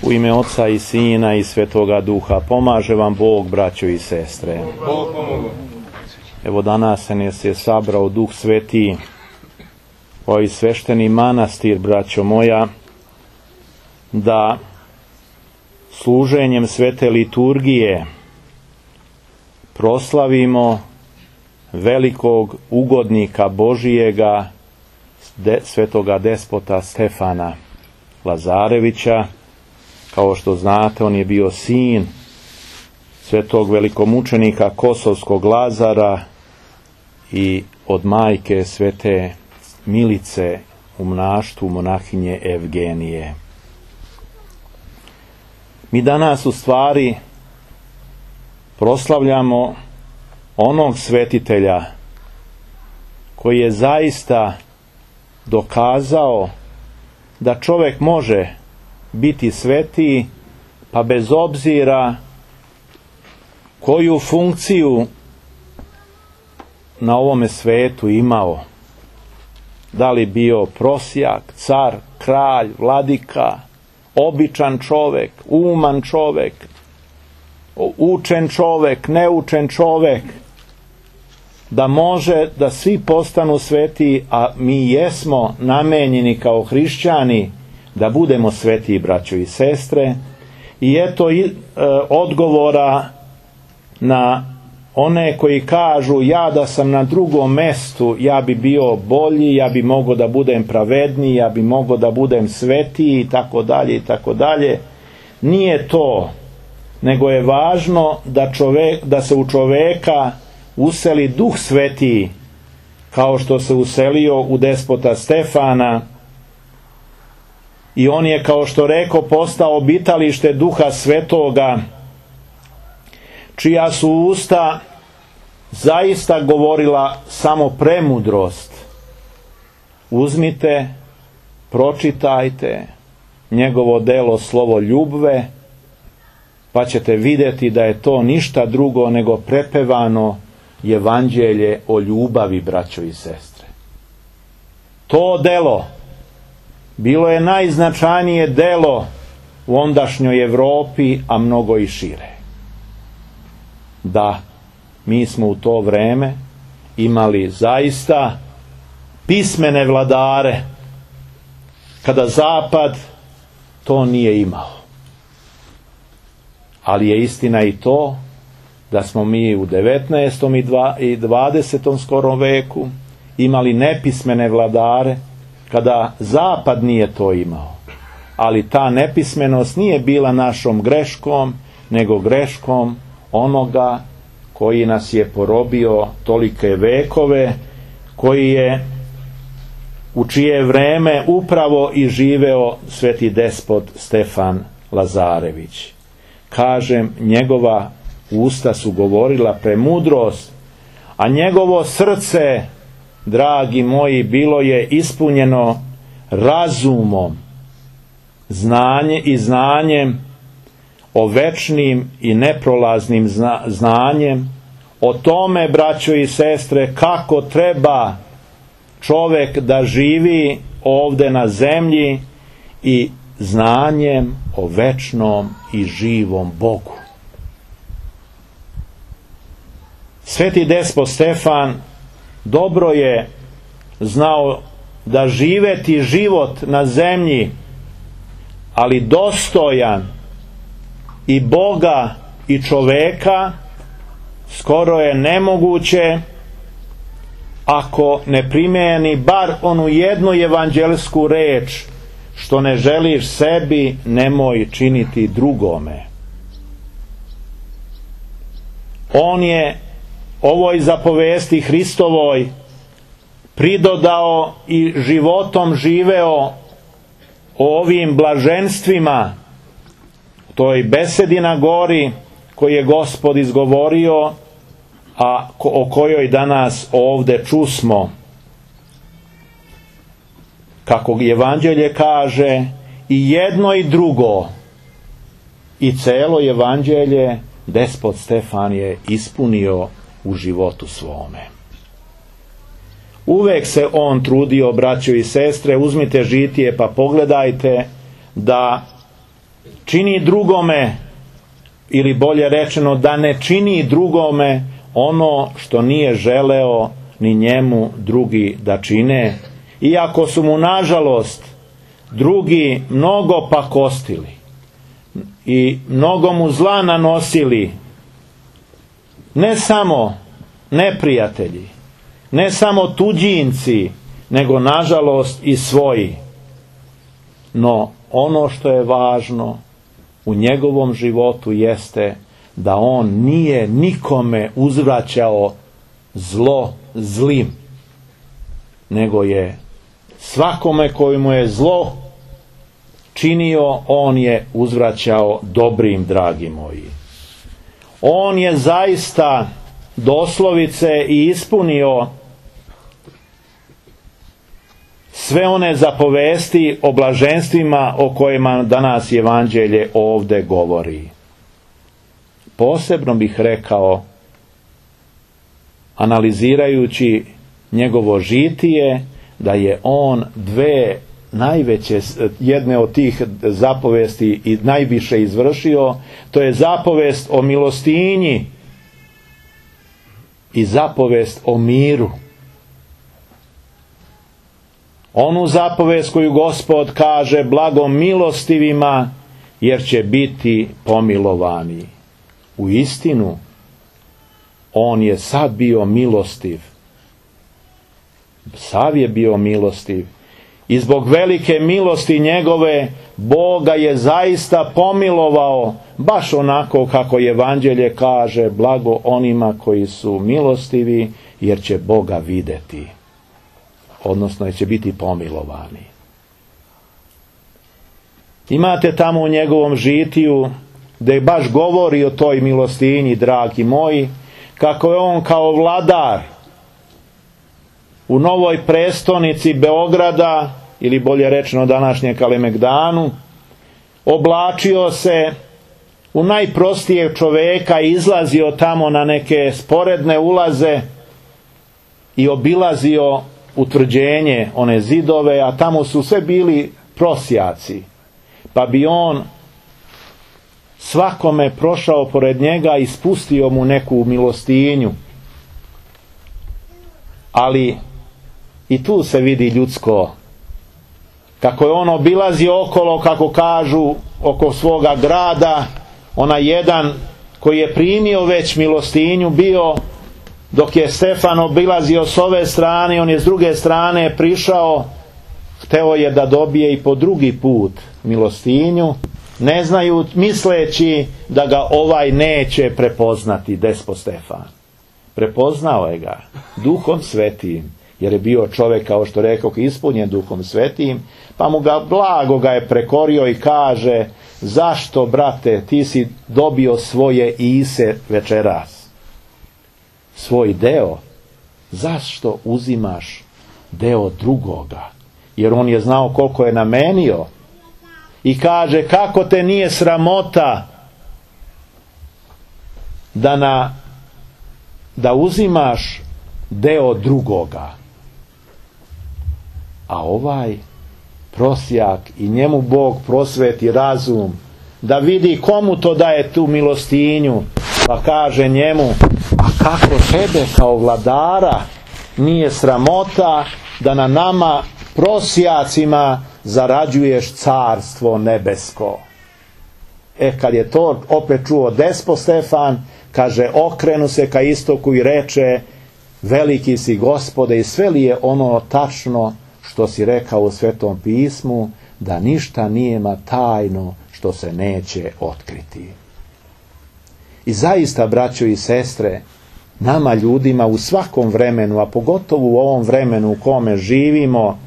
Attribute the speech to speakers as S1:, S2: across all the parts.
S1: U ime Oca i Sina i Svetoga Duha, pomaže vam Bog, braćo i sestre.
S2: Bog pomogu.
S1: Evo danas nas je sabrao Duh Sveti, ovaj svešteni manastir, braćo moja, da služenjem svete liturgije proslavimo velikog ugodnika Božijega, svetoga despota Stefana Lazarevića. Kao što znate, on je bio sin svetog velikomučenika Kosovskog Lazara i od majke svete Milice u monaštvu monahinje Evgenije. Mi danas u stvari proslavljamo onog svetitelja koji je zaista dokazao da čovjek može biti svetiji, pa bez obzira koju funkciju na ovome svetu imao, da li bio prosjak, car, kralj, vladika, običan čovjek, uman čovjek, učen čovjek, neučen čovjek, da može da svi postanu svetiji, a mi jesmo namenjeni kao hrišćani da budemo svetiji, braćo i sestre. I eto odgovora na one koji kažu: ja da sam na drugom mestu, ja bi bio bolji, ja bi mogao da budem pravedniji, ja bi mogao da budem svetiji i tako dalje i tako dalje. Nije to, nego je važno da se u čoveka useli Duh Sveti, kao što se uselio u despota Stefana, i on je, kao što reko, postao obitalište Duha Svetoga, čija su usta zaista govorila samo premudrost. Uzmite, pročitajte njegovo delo Slovo ljubve, pa ćete vidjeti da je to ništa drugo nego prepevano evanđelje o ljubavi, braćo i sestre. To delo bilo je najznačajnije delo u ondašnjoj Europi, a mnogo i šire. Da, mi smo u to vreme imali zaista pismene vladare, kada Zapad to nije imao. Ali je istina i to da smo mi u 19. i 20. skorom veku imali nepismene vladare, kada Zapad nije to imao. Ali ta nepismenost nije bila našom greškom, nego greškom onoga koji nas je porobio tolike vekove, koji je u čije vreme upravo i živeo sveti despot Stefan Lazarević. Kažem, njegova usta su govorila premudrost, a njegovo srce, dragi moji, bilo je ispunjeno razumom, znanjem o večnim i neprolaznim znanjem, o tome, braćo i sestre, kako treba čovjek da živi ovdje na zemlji, i znanjem o večnom i živom Bogu. Sveti despot Stefan dobro je znao da živeti život na zemlji, ali dostojan i Boga i čoveka, skoro je nemoguće ako ne primijeni bar onu jednu evanđelsku reč: što ne želiš sebi, nemoj činiti drugome. On je ovoj zapovesti Hristovoj pridodao i životom živeo o ovim blaženstvima, toj besedi na gori koju je Gospod izgovorio, a o kojoj danas ovdje čusmo. Kako evanđelje kaže, i jedno i drugo, i celo evanđelje despot Stefan je ispunio u životu svome. Uvek se on trudio, braćo i sestre, uzmite žitije pa pogledajte, da čini drugome, ili bolje rečeno da ne čini drugome ono što nije želeo ni njemu drugi da čine, iako su mu nažalost drugi mnogo pakostili i mnogo mu zla nanosili, ne samo neprijatelji, ne samo tuđinci, nego nažalost i svoji. No ono što je važno u njegovom životu jeste da on nije nikome uzvraćao zlo zlim, nego je svakome koji mu je zlo činio, on je uzvraćao dobrim, dragi moji. On je zaista doslovice i ispunio sve one zapovesti o blaženstvima o kojima danas evanđelje ovdje govori. Posebno bih rekao, analizirajući njegovo žitije, da je on dve najveće, jedne od tih zapovesti i najviše izvršio, to je zapovest o milostinji i zapovest o miru. Onu zapovest koju Gospod kaže blago milostivima, jer će biti pomilovani. U istinu, on je sad bio milostiv. Sav je bio milostiv. I zbog velike milosti njegove, Boga je zaista pomilovao, baš onako kako evanđelje kaže, blago onima koji su milostivi, jer će Boga vidjeti. Odnosno, će biti pomilovani. Imate tamo u njegovom žitiju, gdje baš govori o toj milostinji, dragi moji, kako je on kao vladar u novoj prestonici Beograda, ili bolje rečeno današnje Kalemegdanu, oblačio se u najprostijeg čoveka i izlazio tamo na neke sporedne ulaze i obilazio utvrđenje, one zidove, a tamo su sve bili prosjaci, pa bi on svakome prošao pored njega i spustio mu neku milostinju. Ali i tu se vidi ljudsko, kako je on obilazio okolo, kako kažu, oko svoga grada, onaj jedan koji je primio već milostinju bio, dok je Stefan obilazio s ove strane, on je s druge strane prišao, hteo je da dobije i po drugi put milostinju, ne znaju, misleći da ga ovaj neće prepoznati, despot Stefan. Prepoznao je ga Duhom Svetim, jer je bio čovjek, kao što rekao, ispunjen Duhom Svetim, pa mu ga blago ga je prekorio i kaže: zašto, brate, ti si dobio svoje ise večeras, svoj deo, zašto uzimaš deo drugoga? Jer on je znao koliko je namenio i kaže: kako te nije sramota da uzimaš deo drugoga? A ovaj prosjak, i njemu Bog prosveti razum da vidi komu to daje tu milostinju, pa kaže njemu: a kako tebe kao vladara nije sramota da na nama prosjacima zarađuješ carstvo nebesko? Kad je to opet čuo despot Stefan, kaže, okrenu se ka istoku i reče: veliki si Gospode, i sve li je ono tačno što si rekao u Svetom pismu, da ništa nijema tajno što se neće otkriti. I zaista, braćo i sestre, nama ljudima u svakom vremenu, a pogotovo u ovom vremenu u kome živimo,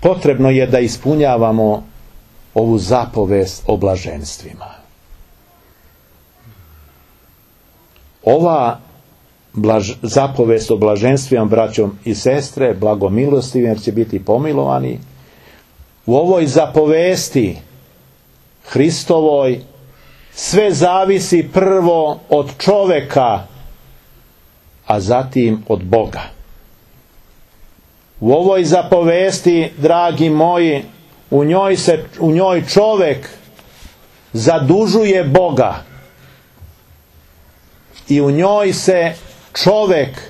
S1: potrebno je da ispunjavamo ovu zapovest o blaženstvima. Ova zapovest o blaženstvima, braćom i sestre, blagomilostivim, jer će biti pomilovani, u ovoj zapovesti Hristovoj sve zavisi prvo od čoveka, a zatim od Boga. U ovoj zapovesti, dragi moji, u njoj čovjek zadužuje Boga i u njoj se čovjek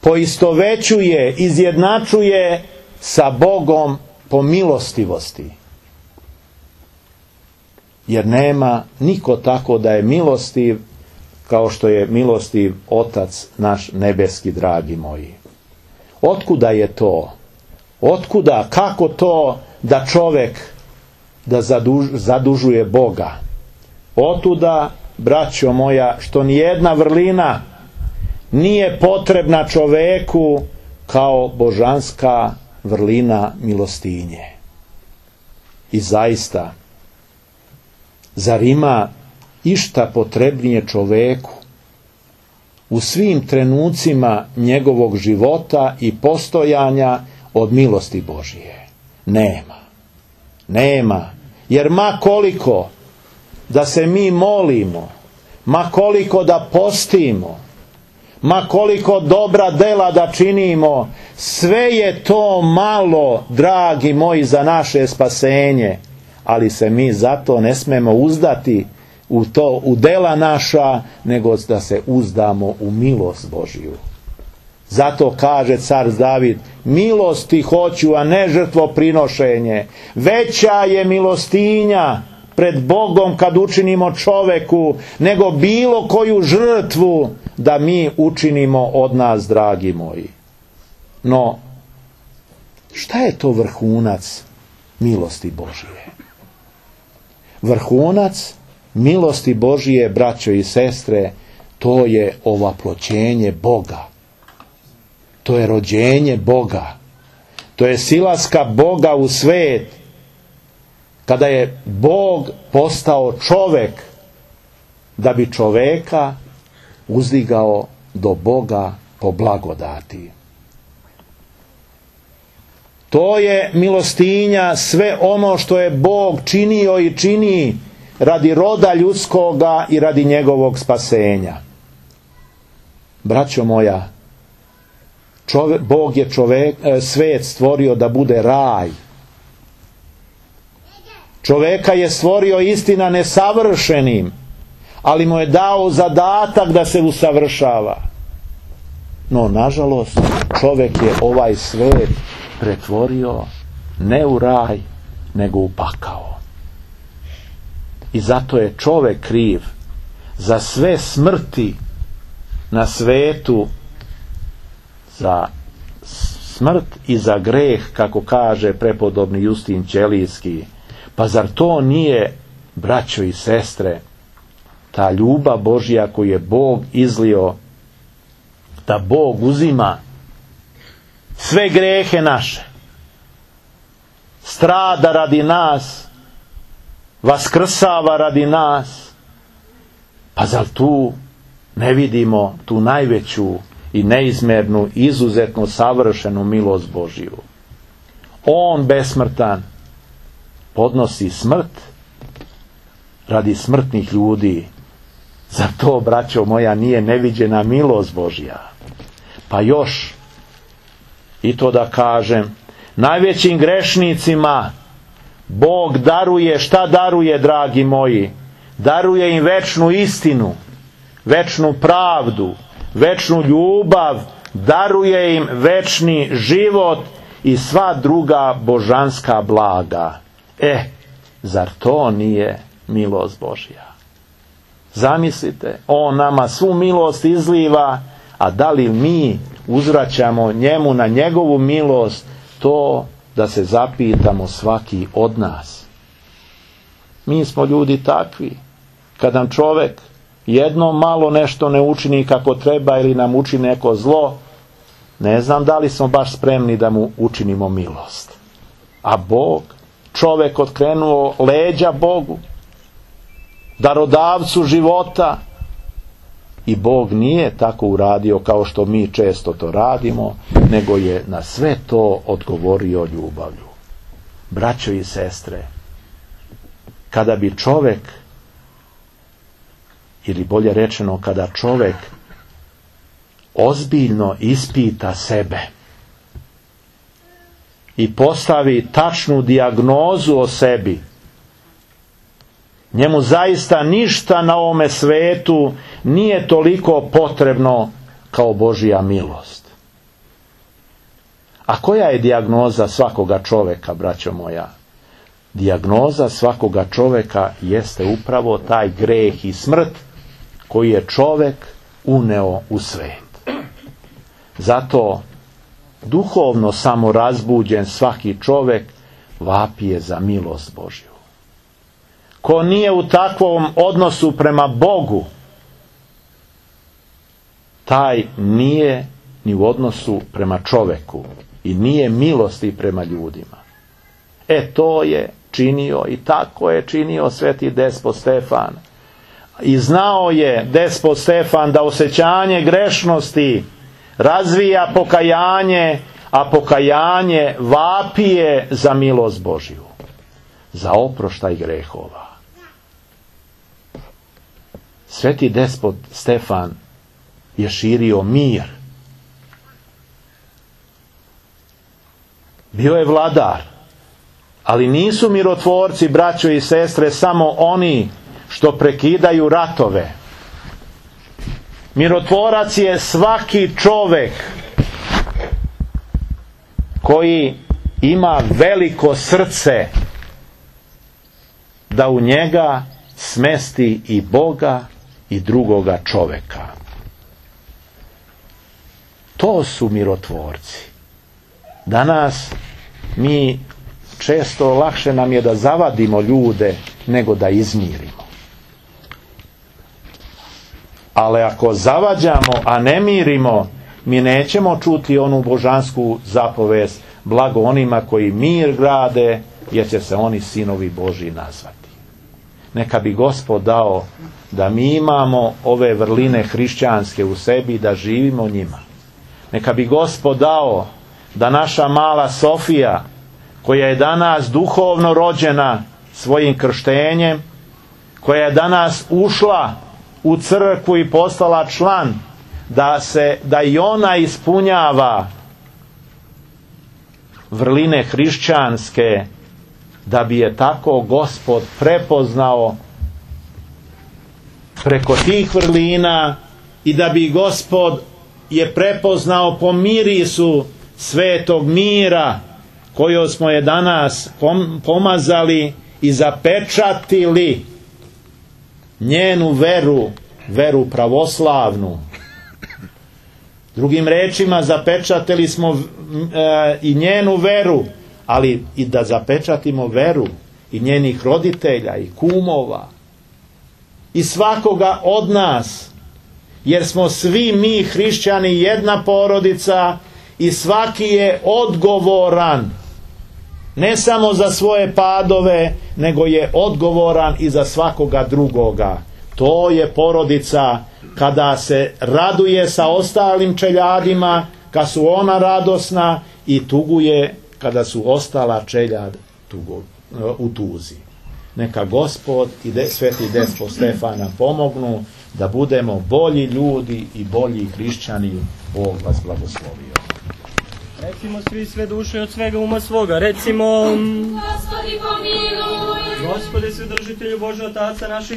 S1: poistovećuje, izjednačuje sa Bogom po milostivosti. Jer nema niko tako da je milostiv kao što je milostiv Otac naš nebeski, dragi moji. Otkuda je to? Otkuda, kako to da čovjek da zadužuje Boga? Otuda, braćo moja, što nijedna vrlina nije potrebna čoveku kao božanska vrlina milostinje. I zaista, zar ima išta potrebnije čoveku u svim trenucima njegovog života i postojanja od milosti Božije? Nema. Jer ma koliko da se mi molimo, ma koliko da postimo, ma koliko dobra dela da činimo, sve je to malo, dragi moji, za naše spasenje. Ali se mi zato ne smemo uzdati u dela naša, nego da se uzdamo u milost Božiju. Zato kaže car David: milosti hoću, a ne žrtvoprinošenje. Veća je milostinja pred Bogom kad učinimo čoveku nego bilo koju žrtvu da mi učinimo od nas, dragi moji. No, šta je to vrhunac milosti Božije? Vrhunac milosti Božije, braćo i sestre, to je ovaploćenje Boga. To je rođenje Boga. To je silaska Boga u svet. Kada je Bog postao čovek, da bi čoveka uzdigao do Boga po blagodati. To je milostinja, sve ono što je Bog činio i čini radi roda ljudskoga i radi njegovog spasenja. Braćo moja, Bog je svet stvorio da bude raj. Čoveka je stvorio, istina, nesavršenim, ali mu je dao zadatak da se usavršava. No, nažalost, čovek je ovaj svet pretvorio ne u raj, nego u pakao. I zato je čovek kriv za sve smrti na svetu, za smrt i za greh, kako kaže prepodobni Justin Ćelijski. Pa zar to nije, braćo i sestre, ta ljubav Božja koju je Bog izlio, da Bog uzima sve grehe naše, strada radi nas, vaskrsava radi nas? Pa zar tu ne vidimo tu najveću i neizmernu, izuzetno savršenu milost Božju? On besmrtan podnosi smrt radi smrtnih ljudi. Zar to, braćo moja, nije neviđena milost Božja? Pa još i to da kažem, najvećim grešnicima Bog daruje, šta daruje, dragi moji? Daruje im večnu istinu, večnu pravdu, večnu ljubav, daruje im večni život i sva druga božanska blaga. Zar to nije milost Božja? Zamislite, on nama svu milost izliva, a da li mi uzvraćamo njemu na njegovu milost? To da se zapitamo svaki od nas. Mi smo ljudi takvi. Kad nam čovek jedno malo nešto ne učini kako treba ili nam učini neko zlo, ne znam da li smo baš spremni da mu učinimo milost. A Bog, čovek otkrenuo leđa Bogu, darodavcu života, i Bog nije tako uradio kao što mi često to radimo, nego je na sve to odgovorio ljubavlju. Braćo i sestre, kada bi čovek, ili bolje rečeno, kada čovek ozbiljno ispita sebe, i postavi tačnu dijagnozu o sebi, njemu zaista ništa na ovome svetu nije toliko potrebno kao Božja milost. A koja je dijagnoza svakoga čoveka, braćo moja? Dijagnoza svakoga čoveka jeste upravo taj greh i smrt koji je čovek uneo u svet. Zato duhovno samorazbuđen svaki čovek vapije za milost Božju. Ko nije u takvom odnosu prema Bogu, taj nije ni u odnosu prema čoveku i nije milosti prema ljudima. To je činio i tako je činio sveti despot Stefan. I znao je despot Stefan da osjećanje grešnosti razvija pokajanje, a pokajanje vapije za milost Božju, za oproštaj grehova. Sveti despot Stefan je širio mir. Bio je vladar, ali nisu mirotvorci, braćo i sestre, samo oni što prekidaju ratove. Mirotvorac je svaki čovek koji ima veliko srce da u njega smesti i Boga i drugoga čoveka. To su mirotvorci. Danas mi često lakše nam je da zavadimo ljude nego da izmirimo. Ali ako zavađamo, a ne mirimo, mi nećemo čuti onu božansku zapovest: blago onima koji mir grade, jer će se oni sinovi Božji nazvati. Neka bi Gospod dao da mi imamo ove vrline hrišćanske u sebi, da živimo njima. Neka bi Gospod dao da naša mala Sofija, koja je danas duhovno rođena svojim krštenjem, koja je danas ušla u crkvu i postala član, da i ona ispunjava vrline hrišćanske, da bi je tako Gospod prepoznao preko tih vrlina i da bi Gospod je prepoznao po mirisu svetog mira koju smo je danas pomazali i zapečatili njenu veru pravoslavnu. Drugim rečima, zapečatili smo i njenu veru, ali i da zapečatimo veru i njenih roditelja i kumova i svakoga od nas, jer smo svi mi hrišćani jedna porodica i svaki je odgovoran ne samo za svoje padove, nego je odgovoran i za svakoga drugoga. To je porodica kada se raduje sa ostalim čeljadima, kad su ona radosna, i tuguje kada su ostala čeljad u tuzi. Neka Gospod i sveti despot Stefana pomognu da budemo bolji ljudi i bolji hrišćani. Bog vas blagoslovio.
S2: Recimo svi sve duše od svega uma svoga. Recimo: Gospodi pomiluj. Gospode, Svedržitelju Bože, Otaca naših